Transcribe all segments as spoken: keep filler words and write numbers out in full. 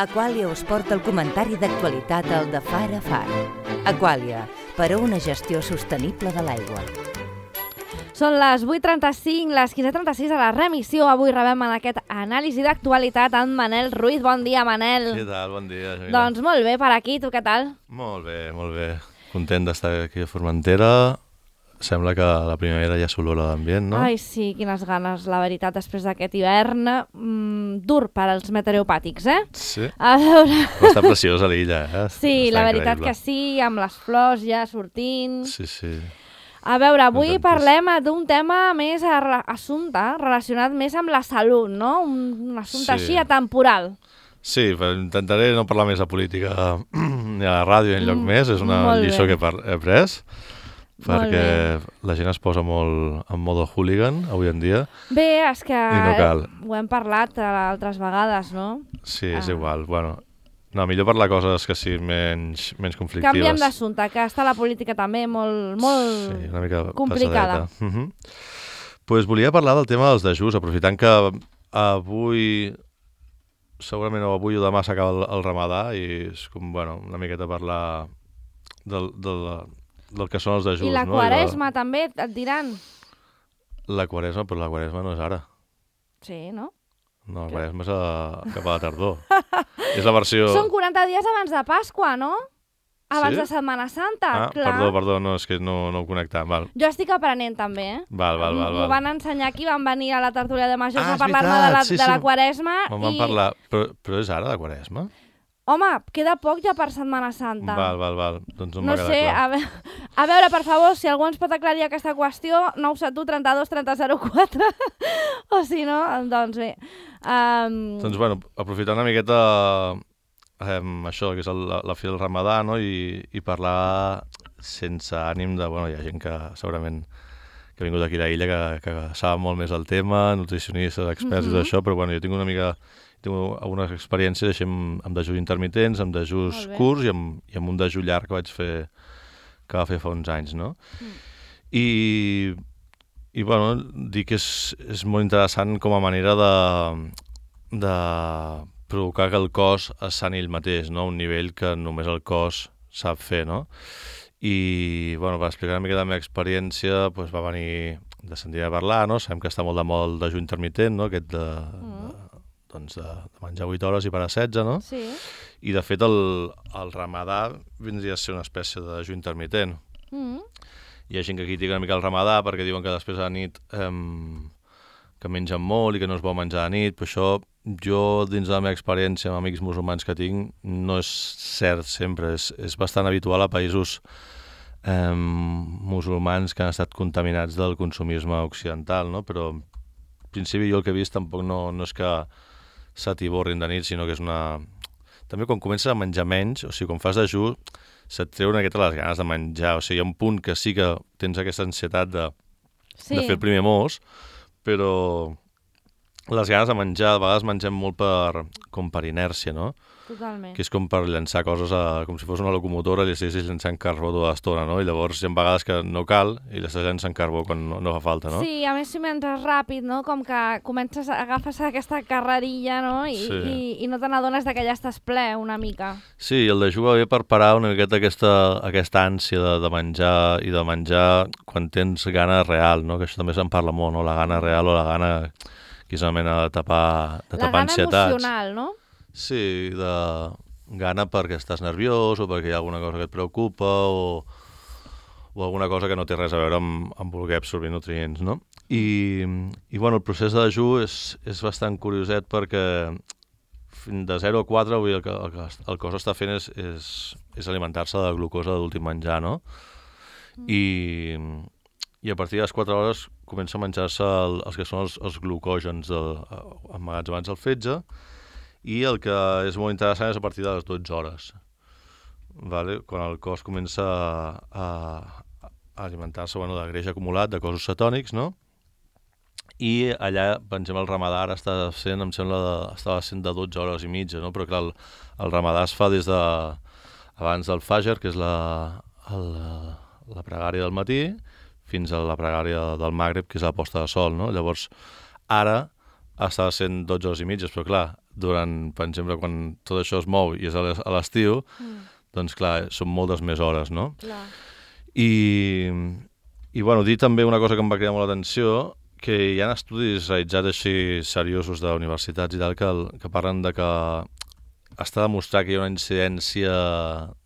Aquàlia us porta el comentari d'actualitat al de Far a Far. Aquàlia, per a una gestió sostenible de l'aigua. Són les vuit trenta-cinc, les quinze trenta-sis a la remissió. Avui rebem en aquest anàlisi d'actualitat en Manel Ruiz. Bon dia, Manel. Què tal? Bon dia, Jamila. Doncs molt bé, per aquí. Tu què tal? Molt bé, molt bé. Content d'estar aquí a Formentera. Sembla que la primavera ja s'olora d'ambient, no? Ai, sí, quines ganes, la veritat, després d'aquest hivern mmm, dur per als meteoropàtics, eh? Sí. A veure... Però està preciosa l'illa, eh? Sí, està la veritat increïble. que sí, amb les flors ja sortint. Sí, sí. A veure, avui Contentíssim. parlem d'un tema més a re- assumpte, relacionat més amb la salut, no? Un, un assumpte Sí. així atemporal. Sí, però intentaré no parlar més de política ni a la ràdio ni enlloc Mm, més. És una molt lliçó bé. que he par- he après. Molt Perquè la gent es posa molt en modo hooligan avui en dia. Bé, és que I no cal. ho hem parlat altres vegades, no? Sí, és Ah. igual. Bueno, no, millor parlar coses que siguin menys, menys conflictives. Canviem d'assumpte, que està la política també molt, molt Sí, una mica complicada. pesadeta. Uh -huh. Pues volia parlar del tema dels dejuts, aprofitant que avui, segurament o avui o demà s'acaba el, el ramadà i és com, bueno, una miqueta parlar del, del, del que són els dejuts. I la no? quaresma també, et diran. La, la quaresma, però la quaresma no és ara. Sí, no? No, la quaresma és a, cap a la tardor. És la versió... Són quaranta dies abans de Pasqua, no? Abans Sí? de Setmana Santa, Ah, clar. perdó, perdó, no, és que no, no ho connectava. Val, Jo estic aprenent també, eh? val, val. val, M'ho val. van ensenyar aquí, van venir a la tertúlia de majors Ah, a és parlar-me de, veritat, la, sí, de sí. la quaresma. Me'n van i... parlar, però, però és ara la quaresma? Home, queda poc ja per Setmana Santa. Val, val, val. Doncs no, No m'ha quedat sé, clar. a, ve... a veure, per favor, si algú ens pot aclarir aquesta qüestió, nou set u trenta-dos trenta zero quatre, o si no, doncs bé. Um... Doncs, bueno, aprofitant una miqueta um, això, que és el, la, la fi del ramadà, no? I, i parlar sense ànim de... Bueno, hi ha gent que segurament que ha vingut aquí a la illa que, que sap molt més el tema, nutricionistes, experts Mhm. i tot això, però bueno, jo tinc una mica... Tinc algunes experiències així amb, amb dejuts intermitents, amb dejuts Molt bé. curts i amb, i amb un dejú llarg que vaig fer que va fer fa uns anys, no? Mm. I, i bueno, dic que és, és molt interessant com a manera de, de provocar que el cos es sani ell mateix, no? Un nivell que només el cos sap fer, no? I, bueno, per explicar una mica de la meva experiència, doncs va venir de sentir a parlar, no? Sabem que està molt de moda el dejú intermitent, no? Aquest de, Mm. de, doncs de, de menjar vuit hores i parar setze, no? Sí. I, de fet, el, el ramadà vindria a ser una espècie de dejú intermitent. Mm. Hi ha gent que critica una mica el ramadà perquè diuen que després a la nit eh, que mengen molt i que no es vol menjar a la nit, però això jo, dins de la meva experiència amb amics musulmans que tinc, no és cert sempre. És, és bastant habitual a països eh, musulmans que han estat contaminats del consumisme occidental, no? Però en principi jo el que he vist tampoc no, no és que s'atiborrin de nit, sinó que és una... També quan comences a menjar menys, o sigui, quan fas dejú, se't treu una miqueta les ganes de menjar. O sigui, hi ha un punt que sí que tens aquesta ansietat de, Sí. de fer el primer mos, però les ganes de menjar, a vegades mengem molt per, com per inèrcia, no? Totalment. Que és com per llançar coses a, com si fos una locomotora i li estiguessis llançant carbó tota l'estona, no? I llavors hi ha vegades que no cal i li estàs llançant carbó quan no, no fa falta, no? Sí, a més si mentres ràpid, no? Com que comences, a- agafes aquesta carrerilla, no? I, Sí. i, i no te n'adones que ja estàs ple una mica. Sí, el dejú va bé per parar una miqueta aquesta, aquesta ànsia de, de menjar i de menjar quan tens gana real, no? Que això també se'n parla molt, no? La gana real o la gana que és una mena de tapar, de La tapar gana ansietats. emocional, no? Sí, de gana perquè estàs nerviós o perquè hi ha alguna cosa que et preocupa o, o alguna cosa que no té res a veure amb, amb voler absorbir nutrients, no? I, i bueno, el procés de dejú és, és bastant curioset perquè fins de zero a quatre avui el que, el que el cos està fent és, és, és alimentar-se de glucosa de l'últim menjar, no? I, i a partir de les quatre hores comença a menjar-se el, els que són els, els glucògens del, emmagatzemats al fetge, i el que és molt interessant és a partir de les dotze hores, vale? Quan el cos comença a, a alimentar-se bueno, de greix acumulat, de cossos cetònics, no? I allà, per exemple, el ramadà ara està sent, em sembla, de, estava sent de dotze hores i mitja, no? Però clar, el, el ramadà es fa des de abans del fajr, que és la, el, la pregària del matí, fins a la pregària del Magreb, que és la posta de sol, no? Llavors, ara estava sent dotze hores i mitges, però clar, durant, per exemple, quan tot això es mou i és a l'estiu, mm. doncs clar, són moltes més hores, no? Clar. I, i bueno, dir també una cosa que em va cridar molt l'atenció, que hi ha estudis realitzats així seriosos d'universitats i tal, que, que parlen de que està demostrat que hi ha una incidència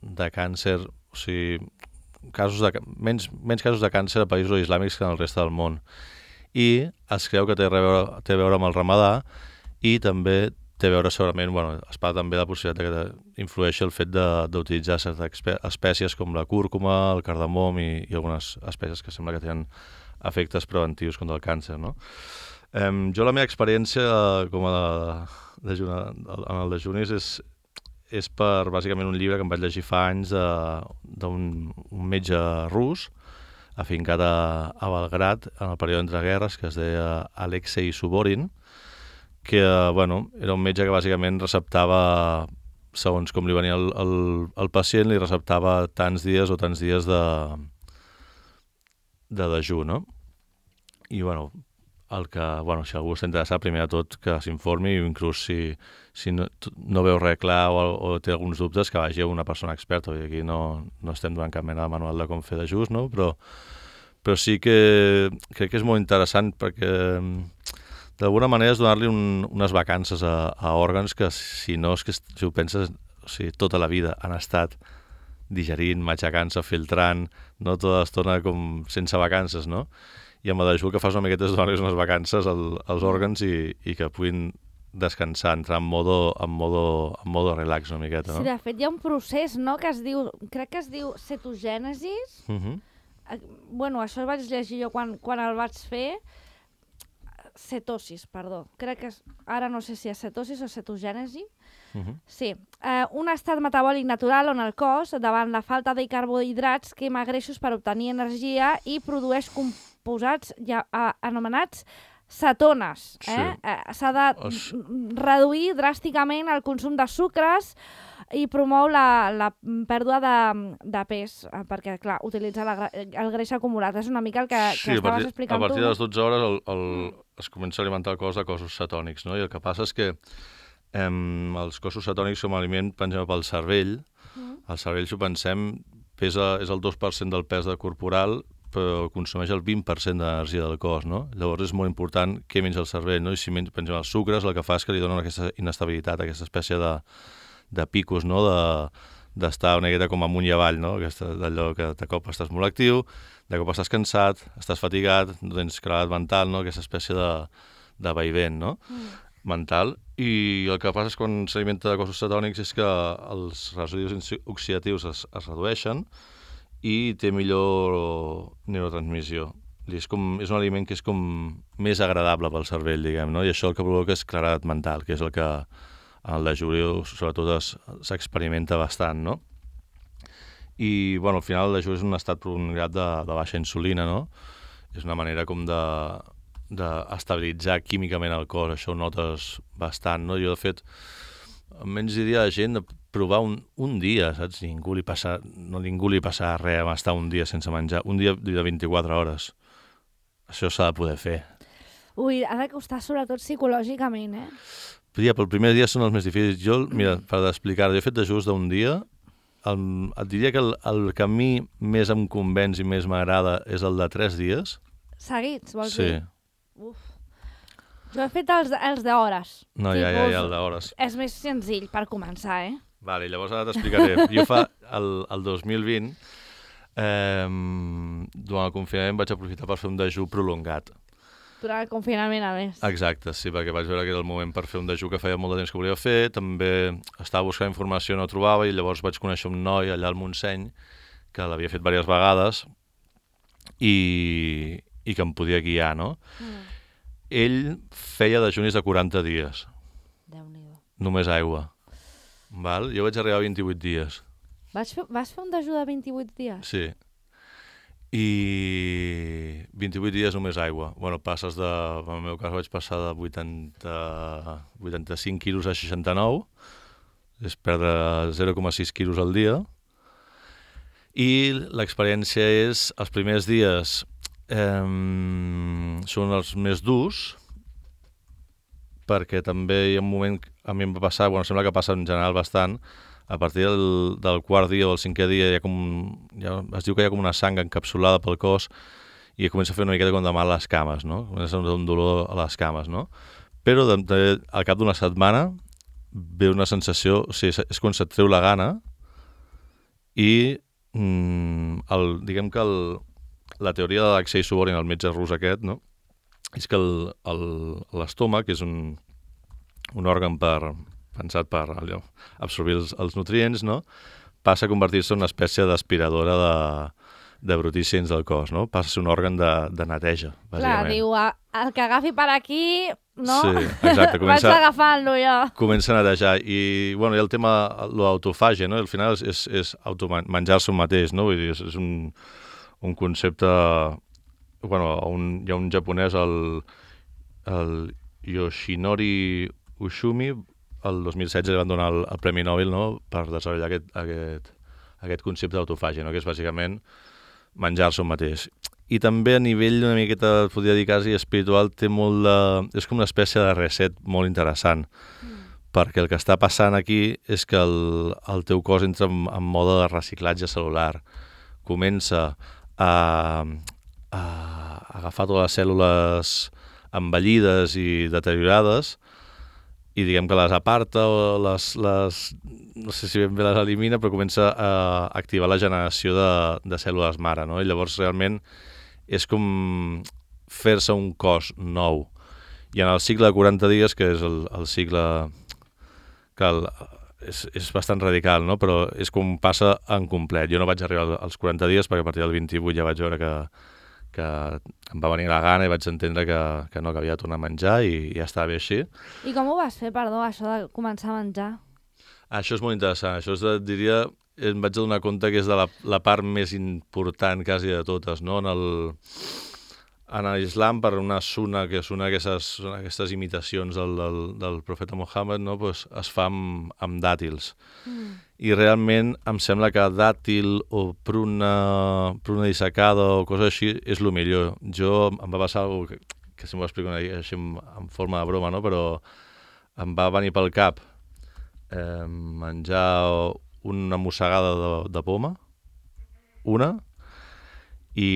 de càncer, o sigui, casos de, menys, menys casos de càncer a països islàmics que en el reste del món. I es creu que té a veure, té a veure amb el ramadà i també té a veure segurament, bueno, es parla també de la possibilitat que influeixi el fet d'utilitzar certes espècies com la cúrcuma, el cardamom i, i algunes espècies que sembla que tenen efectes preventius contra el càncer, no? Eh, jo la meva experiència com a de, de, en el dejunis és és per, bàsicament, un llibre que em vaig llegir fa anys d'un un metge rus afincat a, a Belgrad en el període entre guerres, que es deia Alexei Suborin, que, bueno, era un metge que bàsicament receptava, segons com li venia el, el, el pacient, li receptava tants dies o tants dies de, de dejú, no? I, bueno, el que, bueno, si algú està interessat, primer de tot que s'informi, i inclús si, si no, no veu res clar o, o té alguns dubtes, que vagi a una persona experta. I aquí no, no estem donant cap mena de manual de com fer dejús, no? Però, però sí que crec que és molt interessant perquè d'alguna manera és donar-li un, unes vacances a, a òrgans que, si no, és que si ho penses, o sigui, tota la vida han estat digerint, matxacant-se, filtrant, no tota l'estona com sense vacances, no? I amb el dejú el que fas una miqueta és donar-los unes vacances al, als òrgans i, i que puguin descansar, entrar en modo, en modo, en modo relax una miqueta, no? Sí, de fet hi ha un procés, no?, que es diu, crec que es diu cetogènesis. Uh -huh. Bueno, això el vaig llegir jo quan, quan el vaig fer. Cetosis, perdó. Crec que és, ara no sé si és cetosis o cetogènesi. Uh -huh. Sí, eh, un estat metabòlic natural on el cos, davant la falta de carbohidrats, quema greixos per obtenir energia i produeix composats ja, eh, anomenats cetones. Eh? Sí. Eh, s'ha de es... reduir dràsticament el consum de sucres i promou la, la pèrdua de, de pes, eh, perquè, clar, utilitza la, el greix acumulat. És una mica el que, sí, que estaves explicant tu. A partir de les dotze hores el, el, es comença a alimentar el cos de cossos cetònics, no? I el que passa és que eh, els cossos cetònics som aliment, per exemple, pel cervell. Mm. El cervell, si ho pensem, pesa, és el dos per cent del pes de corporal, però consumeix el vint per cent d'energia del cos, no? Llavors és molt important què menja el cervell, no? I si menja, per exemple, els sucres, el que fa és que li donen aquesta inestabilitat, aquesta espècie de, de picos, no? De, d'estar una miqueta com amunt i avall, no? D'allò que de cop estàs molt actiu, de cop estàs cansat, estàs fatigat, no tens claredat mental, no? Aquesta espècie de, de vaivent, no? Mm. mental. I el que passa és quan s'alimenta de cossos cetònics és que els residus oxidatius es, es redueixen i té millor neurotransmissió. I és, com, és un aliment que és com més agradable pel cervell, diguem, no? I això el que provoca és claredat mental, que és el que en el dejú sobretot s'experimenta bastant, no? I, bueno, al final el dejú és un estat prolongat de, de baixa insulina, no? És una manera com de d'estabilitzar químicament el cos, això ho notes bastant, no? Jo, de fet, almenys diria a la gent de provar un, un dia, saps? Ningú li passa, no ningú li passa res a estar un dia sense menjar, un dia de vint-i-quatre hores. Això s'ha de poder fer. Ui, ha de costar sobretot psicològicament, eh? Ja, però el primer dia són els més difícils. Jo, mira, per explicar, jo he fet dejús d'un dia, el, et diria que el, el que a mi més em convenç i més m'agrada és el de tres dies. Seguits, vols sí. dir? Uf. Jo he fet els, els d'hores. No, ja, ja, ja, el d'hores. És més senzill per començar, eh? Vale, llavors ara t'explicaré. Jo fa el, el dos mil vint, eh, durant el confinament vaig aprofitar per fer un dejú prolongat. Durant el confinament, a més. Exacte, sí, perquè vaig veure que era el moment per fer un dejú que feia molt de temps que volia fer. També estava buscant informació, no trobava, i llavors vaig conèixer un noi allà al Montseny que l'havia fet diverses vegades i, i que em podia guiar, no? Mm. Ell feia dejunis de quaranta dies. Déu-n'hi-do. Només aigua. Val? Jo vaig arribar a vint-i-vuit dies. Vas fer, vas fer un dejú de vint-i-vuit dies? Sí. I vint-i-vuit dies només aigua. Bueno, passes de... En el meu cas vaig passar de vuitanta, vuitanta-cinc quilos a seixanta-nou. És perdre zero coma sis quilos al dia. I l'experiència és... Els primers dies eh, són els més durs perquè també hi ha un moment, a mi em va passar, bueno, sembla que passa en general bastant, a partir del, del quart dia o el cinquè dia hi ha com, ja, es diu que hi ha com una sang encapsulada pel cos i comença a fer una miqueta com de mal a les cames, no? Comença a fer un dolor a les cames, no? Però de, de, al cap d'una setmana ve una sensació, o sigui, és quan se't treu la gana i mm, el, diguem que el, la teoria de l'Alexei Suborin, el metge rus aquest, no? És que l'estómac és un, un òrgan per, pensat per allò, absorbir els, els nutrients, no? Passa a convertir-se en una espècie d'aspiradora de, de brutícens del cos, no? Passa a ser un òrgan de, de neteja, bàsicament. Clar, diu, el que agafi per aquí, no? Sí, exacte. Comença, vaig agafant-lo jo. Comença a netejar. I, bueno, i el tema, l'autofàgia, no? Al final és, és, és menjar-se un mateix, no? Vull dir, és, és un, un concepte... Bueno, un, hi ha un japonès, el, el Yoshinori Ushumi, el dos mil setze li van donar el, el Premi Nobel, no?, per desenvolupar aquest, aquest, aquest concepte d'autofàgia, no?, que és bàsicament menjar-se un mateix. I també a nivell una miqueta, podria dir quasi espiritual, té molt de... és com una espècie de reset molt interessant, mm. perquè el que està passant aquí és que el, el teu cos entra en, en mode de reciclatge celular. Comença a... a agafar totes les cèl·lules envellides i deteriorades i diguem que les aparta o les, les no sé si ben bé les elimina, però comença a activar la generació de, de cèl·lules mare, no? I llavors realment és com fer-se un cos nou. I en el cicle de quaranta dies, que és el, el cicle que el, és, és bastant radical, no? Però és com passa en complet. Jo no vaig arribar als quaranta dies perquè a partir del vint-i-vuit ja vaig veure que que em va venir la gana i vaig entendre que, que no, que havia de tornar a menjar i ja estava bé així. I com ho vas fer, perdó, això de començar a menjar? Això és molt interessant. Això és, de, diria, em vaig adonar compte que és de la, la part més important quasi de totes, no? En el, en l'islam, per una suna, que és una d'aquestes aquestes imitacions del, del, del profeta Mohammed, no? Pues es fa amb, amb dàtils. Mm. I realment em sembla que dàtil o pruna, pruna dissecada o cosa així és el millor. Jo em va passar alguna cosa que, que si m'ho explico així en, en forma de broma, no? Però em va venir pel cap eh, menjar una mossegada de, de poma, una, i,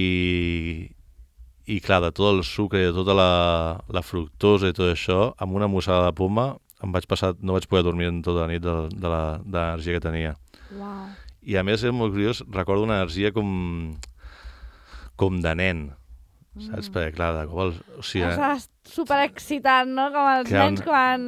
i clar, de tot el sucre i de tota la, la fructosa i tot això, amb una mossegada de poma em vaig passar, no vaig poder dormir en tota la nit de, de l'energia que tenia. Wow. I a més és molt curiós, recordo una energia com, com de nen, mm. saps? Perquè clar, de cop... El, o sigui, estàs superexcitant, no? Com els nens un... quan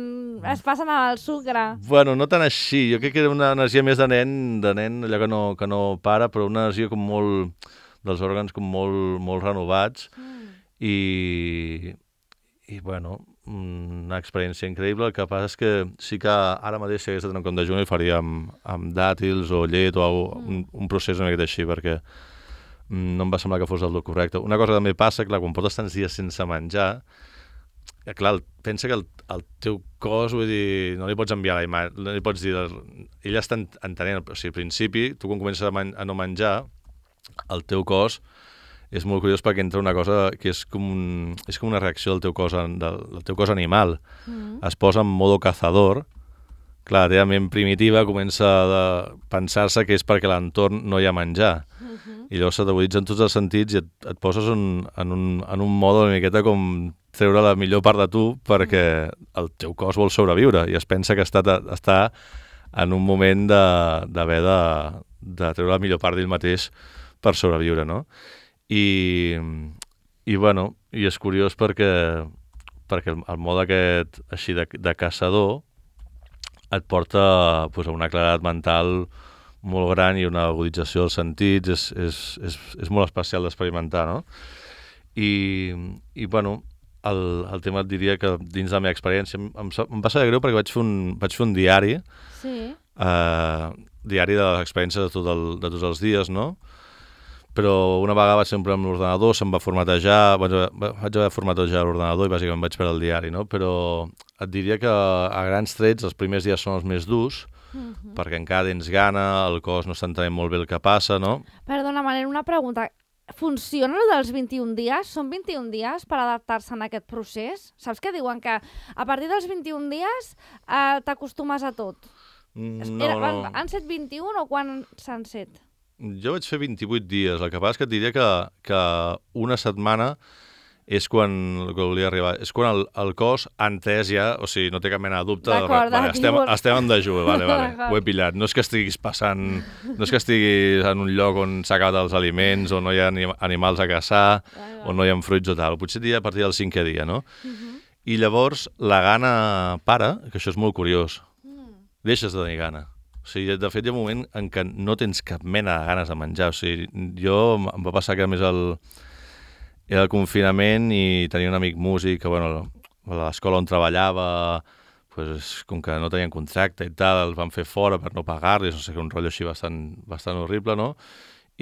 es passen al sucre. Bueno, no tant així, jo crec que era una energia més de nen, de nen allò que no, que no para, però una energia com molt... dels òrgans com molt, molt renovats mm. i... i bueno... una experiència increïble. El que passa és que sí que ara mateix si hagués de tenir un compte junt el faria amb, amb dàtils o llet o algo, mm. un, un procés una miqueta així perquè no em va semblar que fos el correcte. Una cosa que també passa, clar, quan portes tants dies sense menjar, clar, pensa que el, el teu cos, vull dir, no li pots enviar la imatge, no li pots dir, ell està entenent, o sigui, al principi, tu quan comences a, man, a no menjar, el teu cos és molt curiós perquè entra una cosa que és com, un, és com una reacció del teu cos, del, del teu cos animal. Mm. Es posa en modo cazador. Clar, la teva ment primitiva comença a pensar-se que és perquè a l'entorn no hi ha menjar. Mm-hmm. I llavors s'aguditzen tots els sentits i et, et poses un, en, un, en un mode una miqueta com treure la millor part de tu perquè el teu cos vol sobreviure i es pensa que està, està en un moment d'haver de, de, de treure la millor part d'ell mateix per sobreviure, no? I, i bueno, i és curiós perquè, perquè el, el mode aquest així de, de caçador et porta pues, a una claredat mental molt gran i una agudització dels sentits, és, és, és, és molt especial d'experimentar, no? I, i bueno, el, el tema et diria que dins de la meva experiència em, em, em va saber greu perquè vaig fer un, vaig fer un diari, sí. eh, diari de les experiències de, tot el, de tots els dies, no? Però una vegada vaig sempre amb l'ordenador, se'm va formatejar, vaig, vaig haver formatejar l'ordenador i bàsicament vaig perdre el diari, no? Però et diria que a grans trets els primers dies són els més durs, mm-hmm. perquè encara tens gana, el cos no està entenent molt bé el que passa, no? Perdona, Manel, una pregunta. funciona el dels vint-i-un dies? Són vint-i-un dies per adaptar-se en aquest procés? Saps què diuen? Que a partir dels vint-i-un dies eh, t'acostumes a tot. No, Era, no. Han, han set vint-i-un o quan s'han set? Jo vaig fer vint-i-vuit dies. El que passa és que et diria que, que una setmana és quan, el que volia arribar, és quan el, el cos ha entès ja, o sigui, no té cap mena de dubte. D'acord, Vale, estem, diuen- estem en dejú, vale, vale, ho he pillat. No és que estiguis passant, no és que estiguis en un lloc on s'ha acabat els aliments, on no hi ha anim- animals a caçar, on no hi ha fruits o tal. Potser diria a partir del cinquè dia, no? Uh-huh. I llavors la gana para, que això és molt curiós. Mm. Deixes de tenir gana. O sigui, de fet, hi ha un moment en què no tens cap mena de ganes de menjar. O sigui, jo em va passar que a més el, era el confinament i tenia un amic músic que, bueno, a l'escola on treballava, pues, com que no tenien contracte i tal, el van fer fora per no pagar-los, no sé, un rotllo així bastant, bastant horrible, no?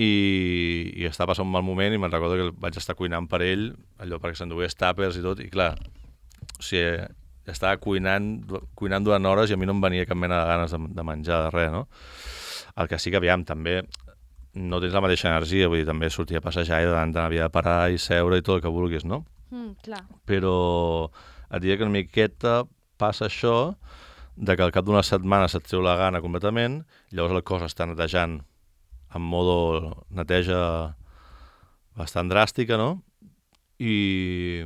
I, i estava passant un mal moment i me'n recordo que vaig estar cuinant per ell, allò perquè s'endugués tàpers i tot, i clar, o sigui, estava cuinant, cuinant durant hores i a mi no em venia cap mena de ganes de, de menjar, de res, no? El que sí que, aviam, també no tens la mateixa energia, vull dir, també sortir a passejar i de tant havia de parar i seure i tot el que vulguis, no? Mm, clar. Però et diria que una miqueta passa això de que al cap d'una setmana se't treu la gana completament, llavors el cos està netejant en modo neteja bastant dràstica, no? I,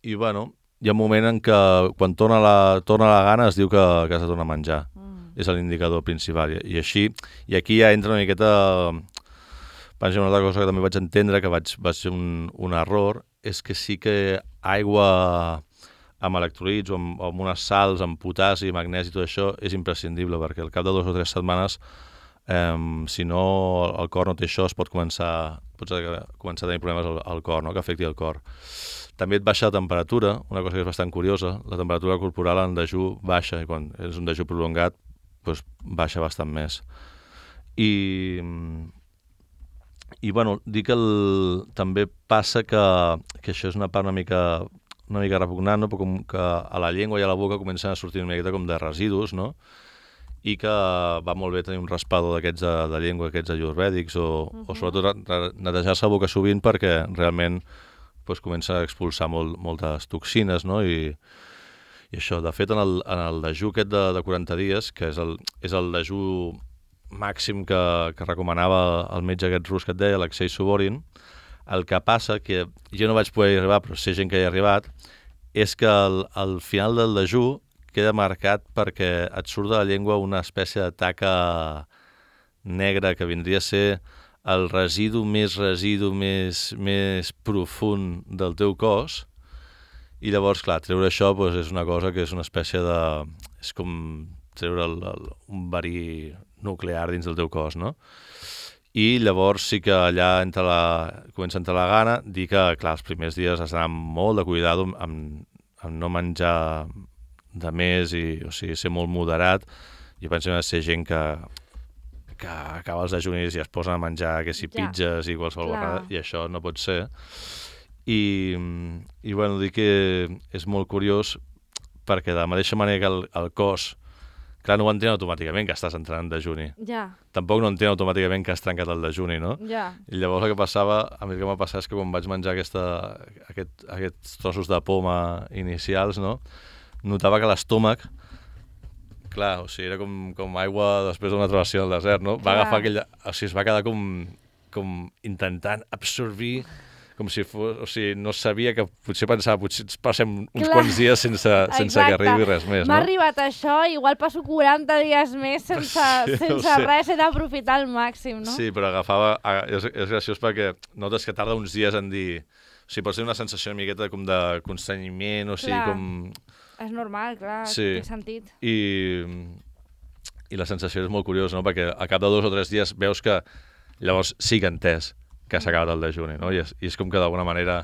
i bueno, hi ha un moment en què quan torna la, torna la gana es diu que, que has de tornar a menjar. Mm. És l'indicador principal. I, i així, i aquí ja entra una miqueta... Penso una altra cosa que també vaig entendre, que vaig, vaig ser un, un error, és que sí que aigua amb electrolits o amb, o amb unes sals, amb potassi, magnesi i tot això és imprescindible, perquè al cap de dues o tres setmanes, eh, si no el cor no té això, es pot començar, pots començar a tenir problemes al, al cor, no? Que afecti el cor. També et baixa la temperatura, una cosa que és bastant curiosa, la temperatura corporal en dejú baixa, i quan és un dejú prolongat, doncs baixa bastant més. I, i bueno, dir que el, també passa que, que això és una part una mica, una mica repugnant, no? Però com que a la llengua i a la boca comencen a sortir una miqueta com de residus, no? I que va molt bé tenir un raspador d'aquests de, de llengua, aquests ayurvèdics, o, uh-huh. o sobretot netejar-se la boca sovint perquè realment pues, comença a expulsar molt, moltes toxines, no? I, i això, de fet, en el, en el dejú aquest de, de quaranta dies, que és el, és el dejú màxim que, que recomanava el metge aquest rus que et deia, l'Alexei Suvorin, el que passa, que jo no vaig poder arribar, però sé gent que hi ha arribat, és que al, al final del dejú queda marcat perquè et surt de la llengua una espècie de taca negra que vindria a ser el residu més residu més, més profund del teu cos. I llavors, clar, treure això doncs, és una cosa que és una espècie de... és com treure el, el, un verí nuclear dins del teu cos, no? I llavors sí que allà entra la, comença a entrar la gana, dir que, clar, els primers dies has d'anar amb molt de cuidado amb, amb no menjar de més i, o sigui, ser molt moderat. Jo penso que ha de ser gent que, que acaba els dejunis i es posen a menjar que si Ja. pizzas i qualsevol Clar. vegada, i això no pot ser. I, i bueno, dir que és molt curiós perquè de la mateixa manera que el, el cos, clar, no ho entén automàticament que estàs entrant en dejuni. Ja, Tampoc no entén automàticament que has trencat el dejuni, no? ja. I llavors el que passava, a mi el que m'ha passat és que quan vaig menjar aquesta, aquest, aquests trossos de poma inicials, no? Notava que l'estómac, clar, o sigui, era com, com aigua després d'una travessia al desert, no? Va Clar. agafar aquella... O sigui, es va quedar com, com intentant absorbir, com si fos... O sigui, no sabia que... Potser pensava, potser ens passem uns Clar. quants dies sense, sense que arribi res més, M'ha no? arribat això, igual passo quaranta dies més sense, Sí, sense ho sé. res, he d'aprofitar al màxim, no? Sí, però agafava... a- És, és graciós perquè notes que tarda uns dies en dir... O sigui, pots tenir una sensació una miqueta com de constrenyiment, o sigui, Clar. com... És normal, clar, Sí. té sentit. I, I la sensació és molt curiosa, no? Perquè al cap de dos o tres dies veus que llavors sí que ha entès que s'ha acabat el dejuni, no? I és, i és com que d'alguna manera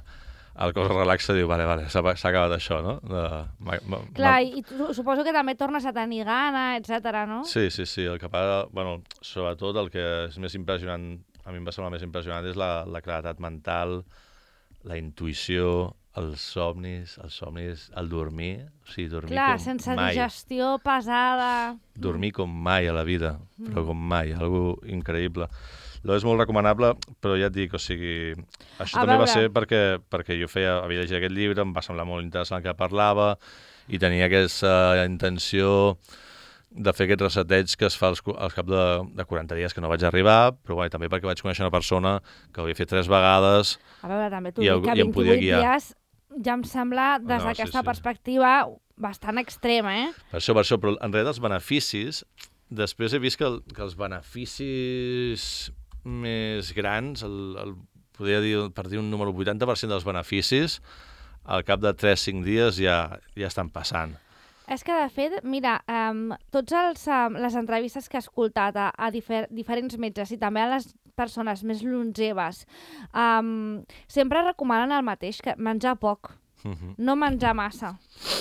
el cos es relaxa i diu, vale, vale, s'ha s'ha acabat això, no? De, ma, ma, Clar, ma... i tu, suposo que també tornes a tenir gana, etcètera, no? Sí, sí, sí. El que passa, bueno, sobretot el que és més impressionant, a mi em va semblar més impressionant, és la, la claredat mental, la intuïció, els somnis, els somnis, el dormir, o sigui, dormir Clar, com sense mai. digestió pesada... Dormir com mai a la vida, però com mai, algo increïble. Allò és molt recomanable, però ja et dic, o sigui, això A també va veure. ser perquè, perquè jo feia, havia llegit aquest llibre, em va semblar molt interessant el que parlava, i tenia aquesta intenció de fer aquests reseteig que es fa als, als cap de, de quaranta dies que no vaig arribar, però bueno, també perquè vaig conèixer una persona que ho havia fet tres vegades. A veure, també t'ho I dic algú- que i em podia vint-i-vuit guiar. dies ja em sembla, des No, sí, d'aquesta sí. perspectiva, bastant extrema, eh? Per això, per això, però en realitat els beneficis, després he vist que, el, que els beneficis més grans, el, el, podria dir, per dir un número, vuitanta per cent dels beneficis, al cap de tres cinc dies ja, ja estan passant. És que, de fet, mira, um, tots els, um, les entrevistes que he escoltat a, a difer diferents metges i també a les persones més longeves, um, sempre recomanen el mateix, que menjar poc, Uh -huh. no menjar massa.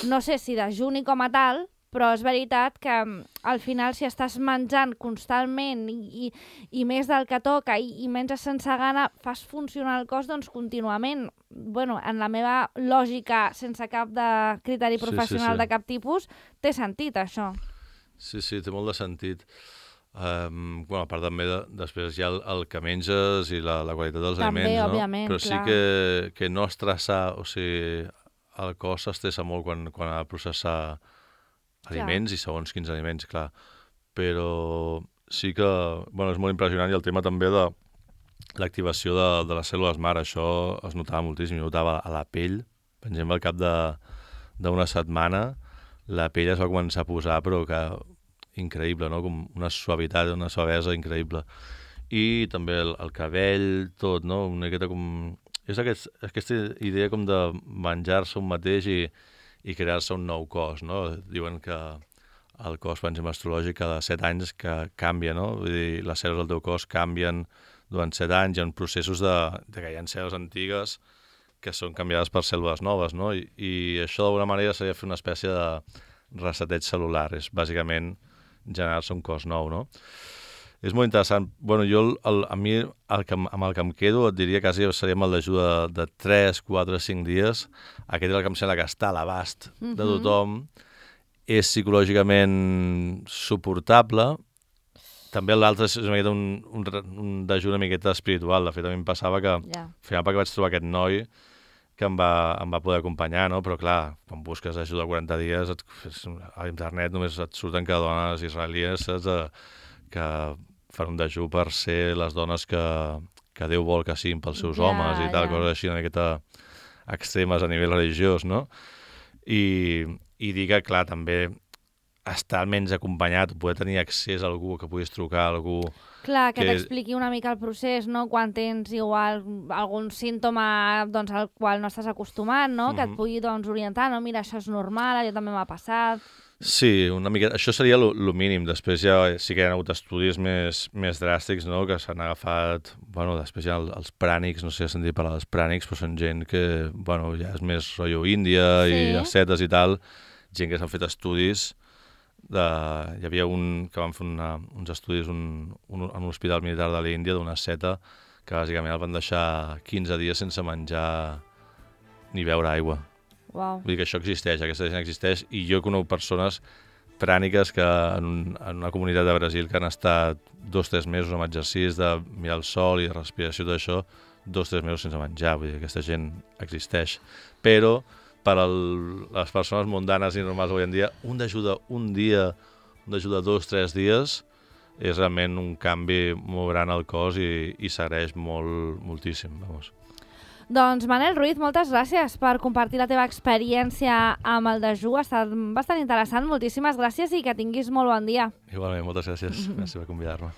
No sé si dejuni com a tal, però és veritat que um, al final si estàs menjant constantment i, i, i més del que toca i, i menges sense gana, fas funcionar el cos doncs contínuament. Bueno, en la meva lògica, sense cap de criteri Sí, sí, professional sí. de cap tipus, té sentit això. Sí, sí, té molt de sentit. Um, bueno, a part també, de, després hi ha el, el que menges i la, la qualitat dels També, aliments, no? òbviament, Però sí clar. que, que no estressar, o sigui, el cos s'estressa molt quan, quan ha de processar aliments i segons quins aliments, clar. Però sí que, bueno, és molt impressionant i el tema també de l'activació de, de les cèl·lules mare, això es notava moltíssim, jo notava a la pell, per exemple, al cap de- d'una setmana, la pell es va començar a posar, però que increïble, no? Com una suavitat, una suavesa increïble. I també el, el cabell, tot, no? Una miqueta com... És aquest, aquesta idea com de menjar-se un mateix i, i crear-se un nou cos, no? Diuen que el cos, per exemple, astrològic, cada set anys que canvia, no? Vull dir, les cèl·lules del teu cos canvien durant set anys, hi ha processos de, de que hi ha cèl·lules antigues que són canviades per cèl·lules noves, no? I, i això d'alguna manera seria fer una espècie de reseteig cel·lular, és bàsicament generar-se un cos nou, no? És molt interessant. Bueno, jo, el, el, a mi, el que, amb el que em quedo, et diria quasi seria amb el dejú de, de tres, quatre, cinc dies. Aquest és el que em sembla que està a l'abast de tothom. És psicològicament suportable. També l'altre és una miqueta un, un, un dejú una miqueta espiritual. De fet, a mi em passava que, Ja. al final, perquè vaig trobar aquest noi que em va, em va poder acompanyar, no? Però clar, quan busques ajuda a quaranta dies, et, a internet només et surten que dones israelies, saps? Eh, que fan un dejú per ser les dones que, que Déu vol que siguin pels seus Ja, homes i tal, ja. coses així una miqueta extremes a nivell religiós, no? I, i dir que, clar, també estar almenys acompanyat, poder tenir accés a algú, que puguis trucar a algú... Clar, que, que- t'expliqui una mica el procés, no? Quan tens igual algun símptoma doncs, al qual no estàs acostumat, no? Que et Mhm. pugui doncs, orientar, no? Mira, això és normal, allò també m'ha passat. Sí, una mica... Això seria el mínim. Després ja sí que hi ha hagut estudis més, més dràstics, no?, que s'han agafat... Bueno, després hi ha el- els prànics, no sé si has sentit parlar dels prànics, però són gent que, bueno, ja és més rotllo Índia i Sí. ascetes i tal, gent que s'han fet estudis. De... Hi havia un que van fer una, uns estudis un, un, en un hospital militar de l'Índia d'una asceta que bàsicament el van deixar quinze dies sense menjar ni beure aigua. Uau. Vull dir que això existeix, aquesta gent existeix, i jo conec persones pràniques que en, un, en una comunitat de Brasil que han estat dos o tres mesos amb exercicis de mirar el sol i de respiració i tot això, dos o tres mesos sense menjar, vull dir que aquesta gent existeix. Però per al, les persones mundanes i normals avui en dia, un d'ajuda un dia, un d'ajuda dos o tres dies, és realment un canvi molt gran al cos i, i s'agraeix molt, moltíssim, vamos. Doncs Manel Ruiz, moltes gràcies per compartir la teva experiència amb el dejú. Ha estat bastant interessant. Moltíssimes gràcies i que tinguis molt bon dia. Igualment, moltes gràcies. Gràcies per convidar-me.